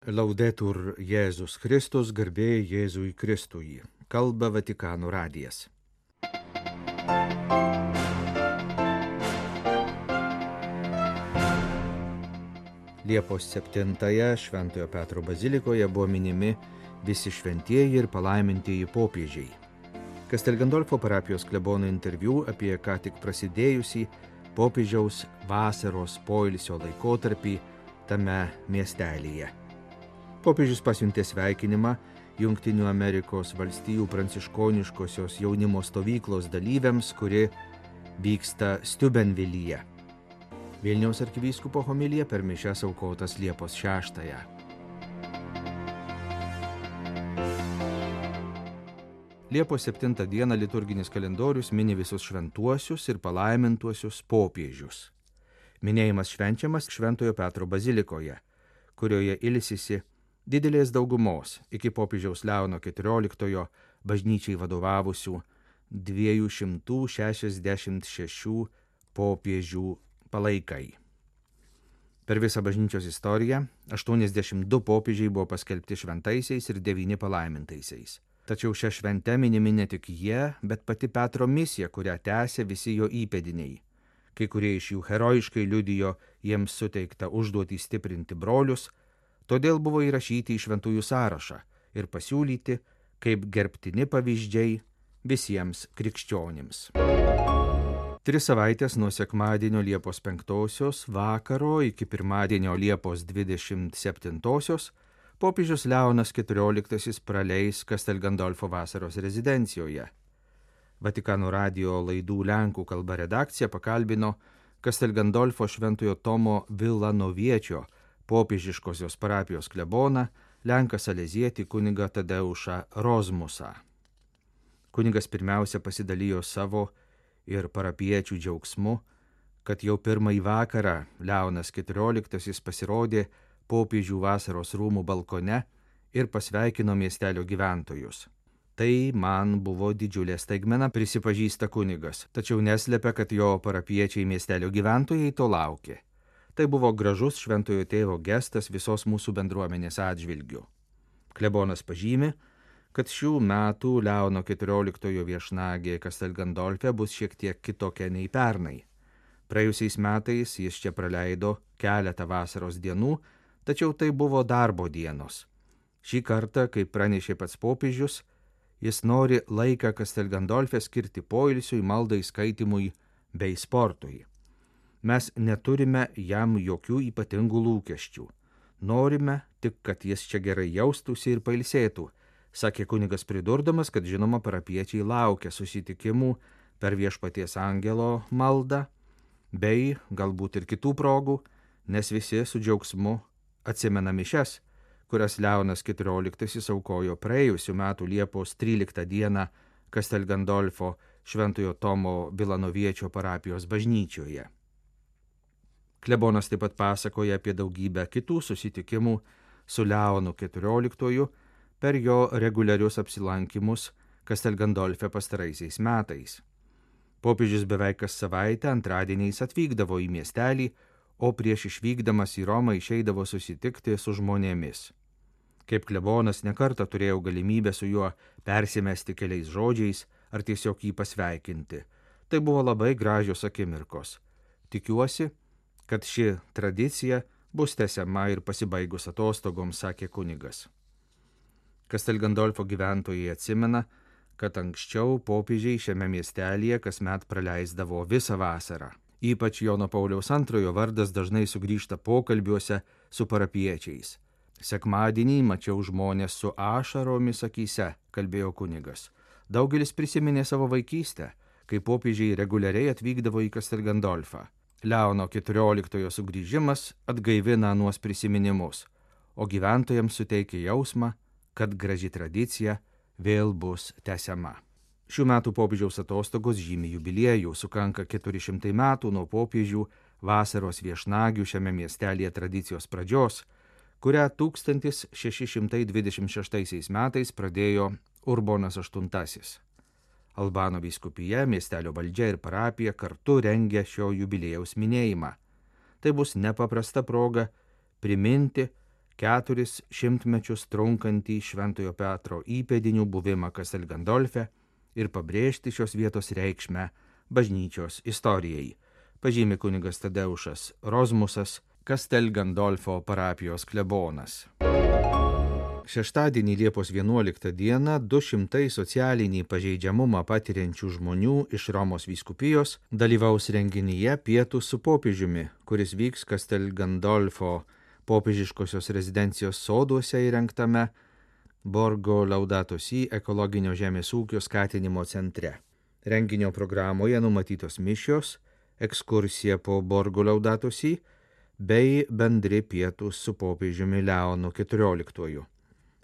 Laudetur Jėzus Kristus, garbė Jėzui Kristui. Kalba Vatikano radijas. Liepos 7-ąją Šventojo Petro bazilikoje buvo minimi visi šventieji ir palaimintieji popiežiai. Castel Gandolfo parapijos klebono interviu apie ką tik prasidėjusį popiežiaus vasaros poilsio laikotarpį tame miestelyje. Popiežius pasiuntė sveikinimą Jungtinių Amerikos valstijų pranciškoniškosios jaunimo stovyklos dalyviams, kuri vyksta Steubenvilyje. Vilniaus arkivyskupo homilija per mišias aukotas Liepos 6-ąją. Liepos 7 dieną liturginis kalendorius mini visus šventuosius ir palaimintuosius popiežius. Minėjimas švenčiamas Šventojo Petro bazilikoje, kurioje ilsisi didelės daugumos iki popiežiaus Leono XIV bažnyčiai vadovavusių 266 popiežių palaikai. Per visą bažnyčios istoriją 82 popiežiai buvo paskelbti šventaisiais ir 9 palaimintaisiais. Tačiau šią šventę minimi ne tik jie, bet pati Petro misija, kurią tęsė visi jo įpėdiniai. Kai kurie iš jų herojiškai liudijo jiems suteiktą užduotį stiprinti brolius, todėl buvo įrašyti į šventųjų sąrašą ir pasiūlyti kaip gerbtini pavyzdžiai visiems krikščionims. 3 savaitės nuo sekmadienio Liepos 5 vakaro iki pirmadienio Liepos 27 popiežius Leonas XIV praleis Castel Gandolfo vasaros rezidencijoje. Vatikano radijo laidų lenkų kalba redakcija pakalbino Castel Gandolfo Šventojo Tomo Vilanoviečio popiežiškosios parapijos kleboną, lenką salezietį kunigą Tadeušą Rozmusą. Kunigas pirmiausia pasidalijo savo ir parapiečių džiaugsmu, kad jau pirmąjį vakarą Leonas XIV pasirodė popiežių vasaros rūmų balkone ir pasveikino miestelio gyventojus. Tai man buvo didžiulė staigmena, prisipažįsta kunigas, tačiau neslepia, kad jo parapiečiai miestelio gyventojai to laukė. Tai buvo gražus šventojo tėvo gestas visos mūsų bendruomenės atžvilgių. Klebonas pažymi, kad šių metų Leono XIV viešnagė Castel Gandolfe bus šiek tiek kitokia nei pernai. Praėjusiais metais jis čia praleido keletą vasaros dienų, tačiau tai buvo darbo dienos. Šį kartą, kaip pranešė pats popiežius, jis nori laiką Castel Gandolfe skirti poilsiui, maldai, skaitimui bei sportui. Mes neturime jam jokių ypatingų lūkesčių. Norime tik, kad jis čia gerai jaustųsi ir pailsėtų, sakė kunigas pridurdamas, kad žinoma parapiečiai laukia susitikimų per Viešpaties angelo maldą, bei galbūt ir kitų progų, nes visi su džiaugsmu atsimena mišias, kurias Leonas XIV aukojo praėjusių metų Liepos 13 dieną Castel Gandolfo Šventojo Tomo Vilanoviečio parapijos bažnyčioje. Klebonas taip pat pasakoja apie daugybę kitų susitikimų su Leonu XIV per jo reguliarius apsilankimus Castel Gandolfe pastaraisiais metais. Popiežius beveik kas savaitę antradieniais atvykdavo į miestelį, o prieš išvykdamas į Romą išeidavo susitikti su žmonėmis. Kaip klebonas nekartą turėjau galimybę su juo persimesti keliais žodžiais ar tiesiog jį pasveikinti. Tai buvo labai gražios akimirkos. Tikiuosi, kad ši tradicija bus tęsiama ir pasibaigus atostogoms, sakė kunigas. Castel Gandolfo gyventojai atsimena, kad anksčiau popiežiai šiame miestelyje kasmet praleisdavo visą vasarą. Ypač Jono Pauliaus II vardas dažnai sugrįžta pokalbiuose su parapiečiais. Sekmadienį mačiau žmonės su ašaromis akyse, kalbėjo kunigas. Daugelis prisiminė savo vaikystę, kai popiežiai reguliariai atvykdavo į Castel Gandolfą. Leono XIV sugrįžimas atgaivina anuos prisiminimus, o gyventojams suteikia jausmą, kad graži tradicija vėl bus tęsiama. Šių metų popiežiaus atostogos žymi jubiliejų, sukanka 400 metų nuo popiežių vasaros viešnagių šiame miestelėje tradicijos pradžios, kurią 1626 metais pradėjo Urbonas VIII. Albano vyskupija, miestelio valdžia ir parapija kartu rengia šio jubiliejaus minėjimą. Tai bus nepaprasta proga priminti, 4 šimtmečius trunkantį Šventojo Petro įpėdinių buvimą Kastel Gandolfe ir pabrėžti šios vietos reikšmę bažnyčios istorijai, pažymi kunigas Tadeušas Rozmusas, Kastel Gandolfo parapijos klebonas. Šeštadienį Liepos 11 dieną 200 socialinį pažeidžiamumą patiriančių žmonių iš Romos vyskupijos dalyvaus renginyje Pietūs su popiežiumi, kuris vyks Kastel Gandolfo popiežiškosios rezidencijos soduose įrengtame Borgo Laudato Si ekologinio žemės ūkio skatinimo centre. Renginio programoje numatytos mišios, ekskursija po Borgo Laudato Si bei bendri pietūs su popiežiumi Leonu XIV.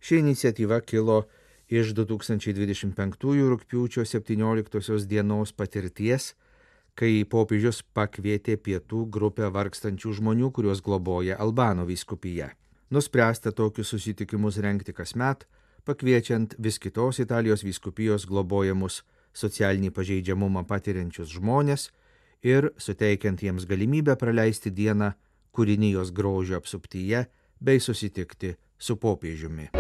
Ši iniciatyva kilo iš 2025 rugpjūčio 17 dienos patirties, kai popiežius pakvietė pietų grupę vargstančių žmonių, kuriuos globoja Albano vyskupija. Nuspręsta tokius susitikimus rengti kasmet, pakviečiant vis kitos Italijos vyskupijos globojamus socialinį pažeidžiamumą patiriančius žmonės ir suteikiant jiems galimybę praleisti dieną kūrinijos grožio apsuptyje bei susitikti su popiežiumi.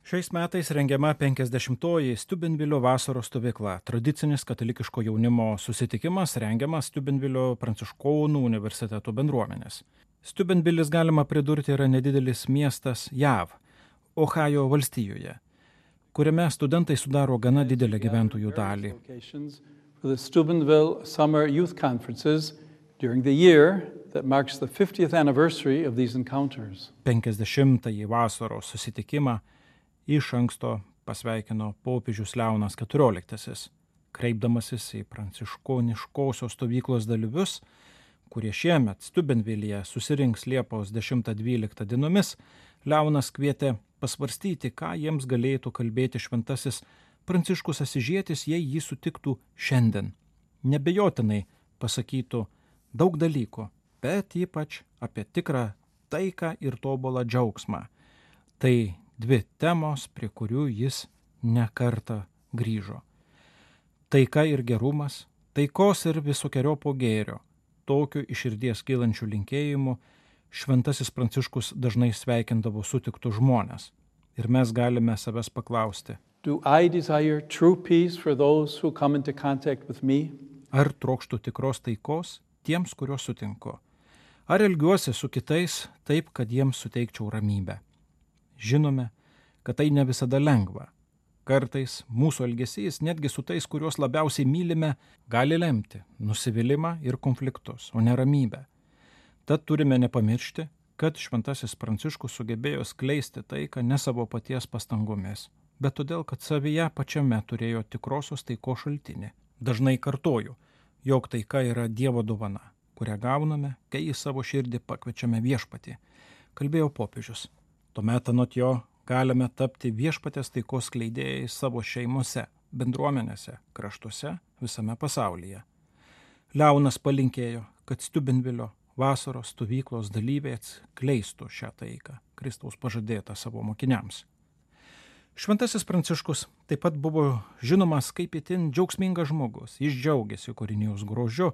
Šiais metais rengiama 50-oji Steubenvilio vasaros stovykla, tradicinis katalikiško jaunimo susitikimas rengiamas Steubenvilio pranciškonų universiteto bendruomenės. Steubenvilis, galima pridurti, yra nedidelis miestas JAV, Ohajo valstijoje, kuriame studentai sudaro gana didelę gyventojų dalį. The Steubenville Summer Youth Conferences during the year that marks the 50th anniversary of these encounters. 50-ąjį vasaros susitikimą iš anksto pasveikino popiežius Leonas XIV, kreipdamasis į pranciškoniškosios stovyklos dalyvius, kurie šiemet Steubenvilyje susirinks Liepos 10-12 dienomis. Leonas kvietė pasvarstyti, ką jiems galėtų kalbėti šventasis Pranciškus Asyžietis, jei jį sutiktų šiandien. Nebejotinai pasakytų daug dalykų, bet ypač apie tikrą taiką ir tobulą džiaugsmą. Tai dvi temos, prie kurių jis ne kartą grįžo. Taika ir gerumas, taikos ir visokiojopo gėrio. Tokiu iš širdies kylančių linkėjimų šventasis Pranciškus dažnai sveikindavo sutiktus žmones. Ir mes galime savęs paklausti. Do I desire true peace for those who come into contact with me? Ar trokštų tikros taikos tiems, kuriuos sutinku? Ar elgiuosi su kitais taip, kad jiems suteikčiau ramybę? Žinome, kad tai ne visada lengva. Kartais mūsų elgesys, netgi su tais, kuriuos labiausiai mylime, gali lemti nusivylimą ir konfliktus, o ne ramybę. Tad turime nepamiršti, kad šventasis Pranciškus sugebėjo skleisti taiką ne savo paties pastangomis, bet todėl, kad savyje pačiame turėjo tikrosios taikos šaltinį. Dažnai kartoju, jog taika yra Dievo dovana, kurią gauname, kai į savo širdį pakviečiame viešpatį, kalbėjo popiežius. Tuomet anot jo galime tapti viešpatės taikos skleidėjais savo šeimose, bendruomenėse, kraštuose, visame pasaulyje. Leonas palinkėjo, kad Steubenvilio vasaros stovyklos dalyviai atskleistų šią taiką, Kristaus pažadėtą savo mokiniams. Šventasis Pranciškus taip pat buvo žinomas kaip itin džiaugsmingas žmogus. Jis džiaugiasi kūrinijos grožiu,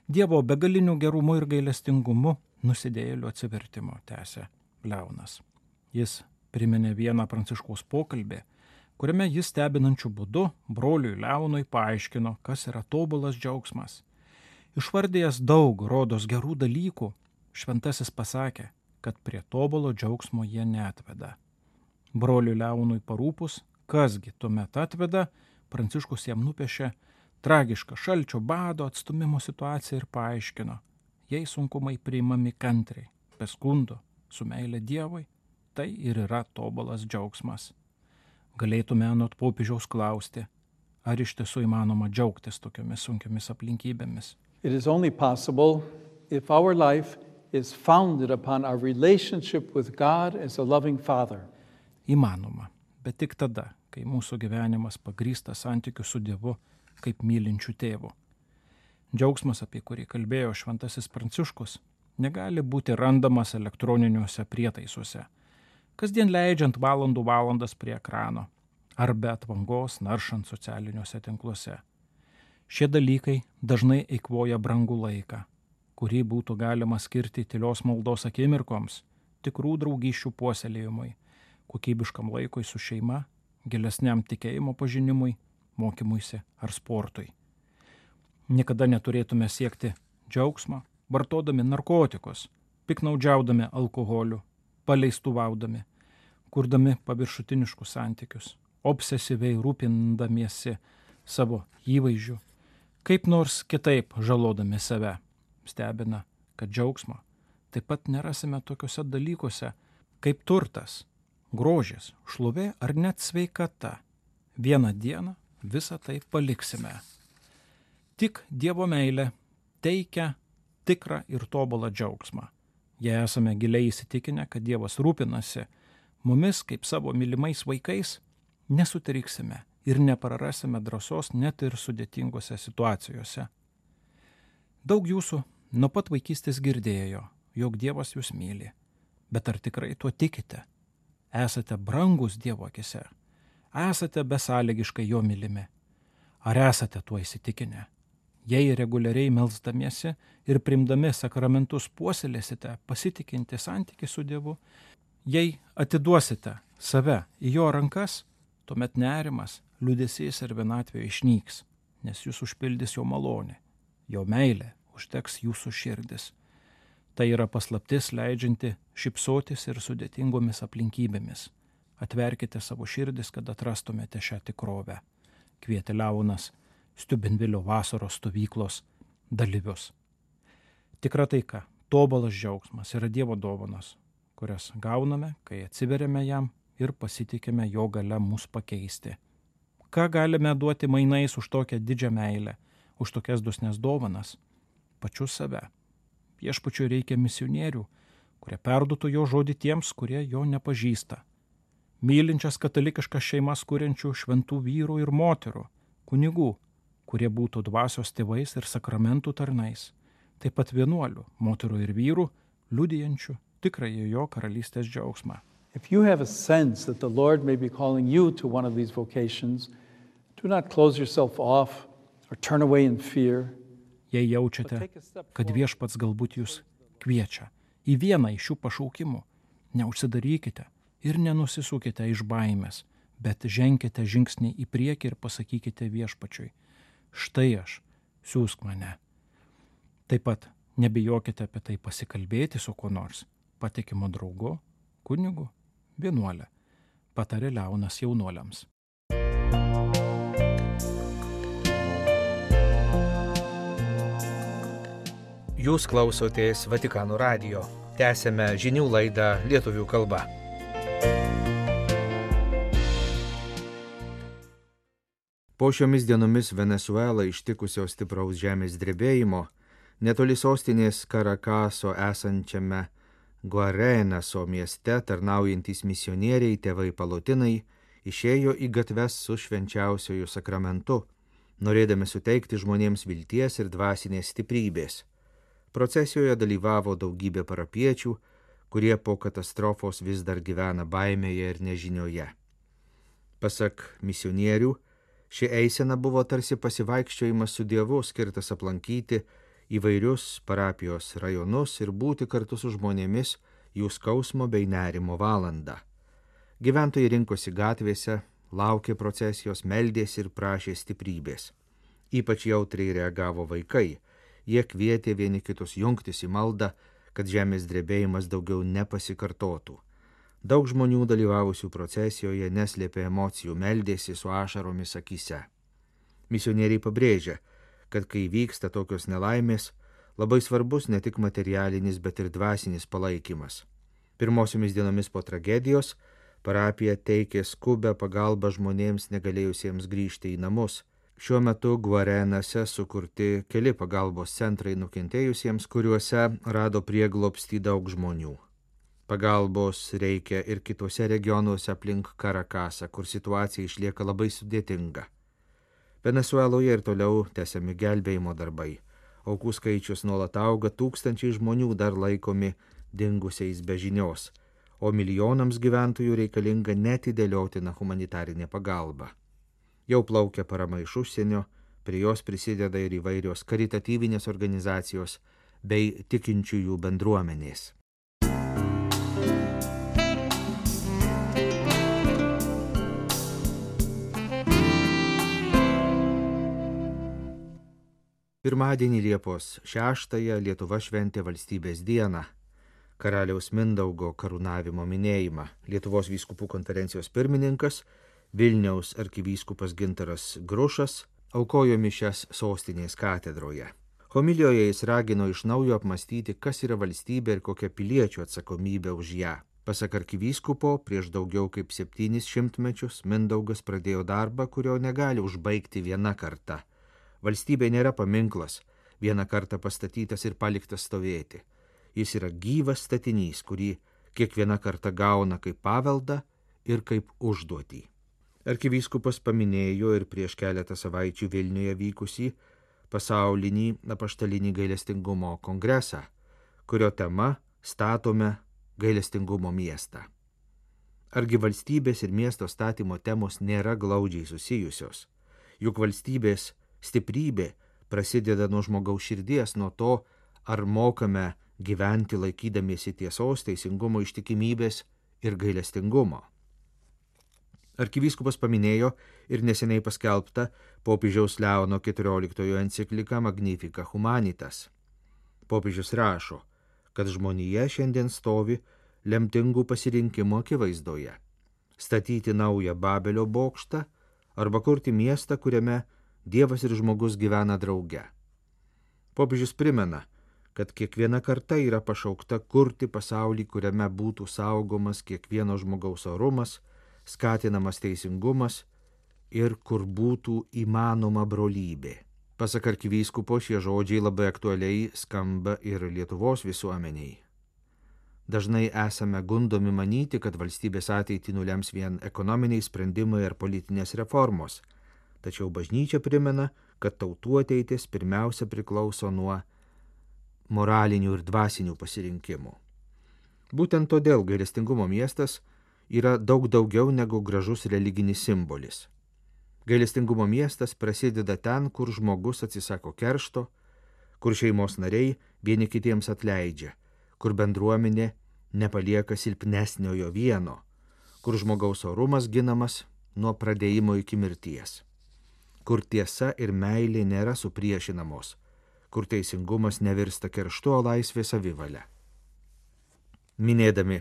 Dievo begaliniu gerumu ir gailestingumu, nusidėjėlių atsivertimo, tęsė Leonas. Jis priminė vieną Pranciškaus pokalbį, kuriame jis stebinančiu būdu broliui Leonui paaiškino, kas yra tobulas džiaugsmas. Išvardėjęs daug rodos gerų dalykų, šventasis pasakė, kad prie tobulo džiaugsmo jie neatveda. Broliui Leonui parūpus, kasgi tuomet atveda, Pranciškus jam nupiešė tragišką šalčio, bado, atstumimo situaciją ir paaiškino, jei sunkumai priimami kantriai, be skundo, su meile Dievui, tai ir yra tobulas džiaugsmas. Galėtume anot popiežiaus klausti, ar iš tiesų įmanoma džiaugtis tokiomis sunkiomis aplinkybėmis. It is only possible if our life is founded upon our relationship with God as a loving Father. Įmanoma, bet tik tada, kai mūsų gyvenimas pagrįstas santykiu su Dievu kaip mylinčiu tėvu. Džiaugsmas, apie kurį kalbėjo šventasis Pranciškus, negali būti randamas elektroniniuose prietaisuose, kasdien leidžiant valandas prie ekrano, ar be atvangos naršant socialiniuose tinkluose. Šie dalykai dažnai eikvoja brangų laiką, kurį būtų galima skirti tylios maldos akimirkoms, tikrų draugysčių puoselėjimui, kokybiškam laikui su šeima, gilesniam tikėjimo pažinimui, mokymuisi ar sportui. Niekada neturėtume siekti džiaugsmo, vartodami narkotikus, piknaudžiaudami alkoholiu, paleistuvaudami, kurdami paviršutiniškus santykius, obsesyviai rūpindamiesi savo įvaizdžiu, kaip nors kitaip žalodami save. Stebina, kad džiaugsmo taip pat nerasime tokiuose dalykuose kaip turtas, grožis, šlovė ar net sveikata. Vieną dieną visą tai paliksime. Tik Dievo meilė teikia tikrą ir tobulą džiaugsmą. Jei esame giliai įsitikinę, kad Dievas rūpinasi mumis kaip savo mylimais vaikais, nesutriksime ir neprarasime drąsos net ir sudėtingose situacijose. Daug jūsų nuo pat vaikystės girdėjo, jog Dievas jūs myli. Bet ar tikrai tuo tikite? Esate brangus Dievo akise? Esate besąlygiškai jo mylimi? Ar esate tuo įsitikinę? Jei reguliariai melsdamiesi ir primdami sakramentus puoselėsite pasitikinti santykį su Dievu, jei atiduosite save į jo rankas, tuomet nerimas, liūdesys ir vienatvė išnyks, nes jūs užpildys jo malonė, jo meilė užteks jūsų širdis. Tai yra paslaptis leidžianti šypsotis ir sudėtingomis aplinkybėmis. Atverkite savo širdis, kad atrastumėte šią tikrovę. Kvietė Leonas Steubenvilio vasaros stovyklos dalyvius. Tikra taika, tobulas džiaugsmas yra Dievo dovanos, kurias gauname, kai atsiveriame jam ir pasitikime jo gale mus pakeisti. Ką galime duoti mainais už tokią didžią meilę, už tokias dosnes dovanas? Pačius save. Viešpačiui reikia misionierių, kurie perduotų jo žodį tiems, kurie jo nepažįsta. Mylinčias katalikiškas šeimas kuriančių šventų vyrų ir moterų, kunigų, kurie būtų dvasios tėvais ir sakramentų tarnais. Taip pat vienuolių, moterų ir vyrų, liudijančių tikrąjį jo karalystės džiaugsmą. If you have a sense that the Lord may be calling you to one of these vocations, do not close yourself off or turn away in fear. Jei jaučiate, kad viešpats galbūt jūs kviečia į vieną iš šių pašaukimų, neužsidarykite ir nenusisukite iš baimės, bet ženkite žingsnį į priekį ir pasakykite viešpačiui: štai aš, siųsk mane. Taip pat nebijokite apie tai pasikalbėti su kuo nors, patikimu draugu, kunigu, vienuole, patarė Leonas jaunuoliams. Jūs klausotės Vatikano radijo. Tęsėme žinių laidą lietuvių kalba. Po šiomis dienomis Venesuelą ištikusio stipraus žemės drebėjimo, netoli sostinės Karakaso esančiame Guarenaso mieste tarnaujantys misionieriai tėvai Palotinai išėjo į gatves su švenčiausiuoju sakramentu, norėdami suteikti žmonėms vilties ir dvasinės stiprybės. Procesijoje dalyvavo daugybė parapiečių, kurie po katastrofos vis dar gyvena baimėje ir nežinioje. Pasak misionierių, ši eisena buvo tarsi pasivaikščiojimas su Dievu, skirtas aplankyti įvairius parapijos rajonus ir būti kartu su žmonėmis jų skausmo bei nerimo valandą. Gyventojai rinkosi gatvėse, laukė procesijos, meldėsi ir prašė stiprybės. Ypač jautriai reagavo vaikai. Jie kvietė vieni kitus jungtis į maldą, kad žemės drebėjimas daugiau nepasikartotų. Daug žmonių dalyvavusių procesijoje neslėpė emocijų, meldėsi su ašaromis akyse. Misionieriai pabrėžia, kad kai vyksta tokios nelaimės, labai svarbus ne tik materialinis, bet ir dvasinis palaikymas. Pirmosiomis dienomis po tragedijos parapija teikė skubę pagalbą žmonėms negalėjusiems grįžti į namus. Šiuo metu Guarenase sukurti keli pagalbos centrai nukentėjusiems, kuriuose rado prieglobstį daug žmonių. Pagalbos reikia ir kitose regionuose aplink Karakasą, kur situacija išlieka labai sudėtinga. Venesueloje ir toliau tęsiami gelbėjimo darbai. Aukų skaičius nuolat auga, tūkstančiai žmonių dar laikomi dingusiais be žinios, o milijonams gyventojų reikalinga neatidėliotina humanitarinė pagalba. Jau plaukia parama iš užsienio, prie jos prisideda ir įvairios karitatyvinės organizacijos bei tikinčiųjų bendruomenės. Pirmadienį Liepos 6-ąją Lietuva šventė valstybės dieną, karaliaus Mindaugo karūnavimo minėjimą. Lietuvos vyskupų konferencijos pirmininkas, Vilniaus arkivyskupas Gintaras Grušas, aukojo mišias sostinės katedroje. Homilijoje jis ragino iš naujo apmastyti, kas yra valstybė ir kokia piliečių atsakomybė už ją. Pasak arkivyskupo, prieš daugiau kaip 700 mečius Mindaugas pradėjo darbą, kurio negali užbaigti viena karta. Valstybė nėra paminklas, vieną kartą pastatytas ir paliktas stovėti. Jis yra gyvas statinys, kurį kiekviena karta gauna kaip paveldą ir kaip užduotį. Arkivyskupas paminėjo ir prieš keletą savaičių Vilniuje vykusį pasaulinį apaštalinį gailestingumo kongresą, kurio tema statome gailestingumo miestą. Argi valstybės ir miesto statymo temos nėra glaudžiai susijusios? Juk valstybės stiprybė prasideda nuo žmogaus širdies, nuo to, ar mokame gyventi laikydamiesi tiesos, teisingumo, ištikimybės ir gailestingumo. Arkivyskupas paminėjo ir neseniai paskelbtą popiežiaus Leono XIV encikliką Magnificat Humanitas. Popiežius rašo, kad žmonija šiandien stovi lemtingų pasirinkimų akivaizdoje – statyti naują Babelio bokštą arba kurti miestą, kuriame Dievas ir žmogus gyvena drauge. Popiežius primena, kad kiekviena karta yra pašaukta kurti pasaulį, kuriame būtų saugomas kiekvieno žmogaus orumas, skatinamas teisingumas ir kur būtų įmanoma brolybė. Pasak arkivyskupo, šie žodžiai labai aktualiai skamba ir Lietuvos visuomeniai. Dažnai esame gundomi manyti, kad valstybės ateitį nulems vien ekonominiai sprendimai ar politinės reformos. Tačiau bažnyčia primena, kad tautų ateitis pirmiausia priklauso nuo moralinių ir dvasinių pasirinkimų. Būtent todėl gailestingumo miestas yra daug daugiau negu gražus religinis simbolis. Gailestingumo miestas prasideda ten, kur žmogus atsisako keršto, kur šeimos nariai vieni kitiems atleidžia, kur bendruomenė nepalieka silpnesniojo vieno, kur žmogaus orumas ginamas nuo pradėjimo iki mirties, kur tiesa ir meilė nėra supriešinamos, kur teisingumas nevirsta kerštu, o laisvė savivalia. Minėdami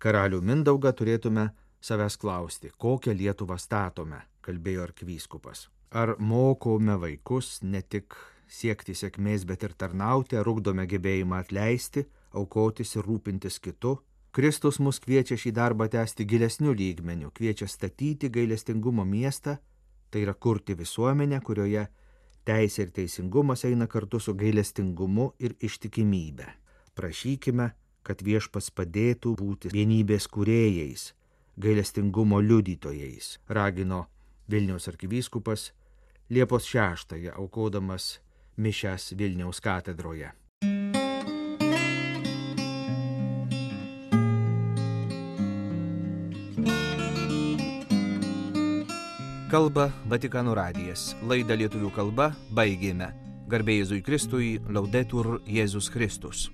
karalių Mindaugą turėtume savęs klausti, kokią Lietuvą statome, kalbėjo arkivyskupas. Ar mokome vaikus ne tik siekti sėkmės, bet ir tarnauti, ar ugdome gebėjimą atleisti, aukotis ir rūpintis kitu? Kristus mus kviečia šį darbą tęsti gilesniu lygmeniu, kviečia statyti gailestingumo miestą, tai yra kurti visuomenę, kurioje teisė ir teisingumas eina kartu su gailestingumu ir ištikimybe. Prašykime, kad Viešpats padėtų būti vienybės kūrėjais, gailestingumo liudytojais, ragino Vilniaus arkivyskupas Liepos 6-ąją aukodamas mišias Vilniaus katedroje. Kalba Vatikano radijas. Laidą lietuvių kalba baigėme. Garbė Jėzui Kristui, Laudetur Jėzus Kristus.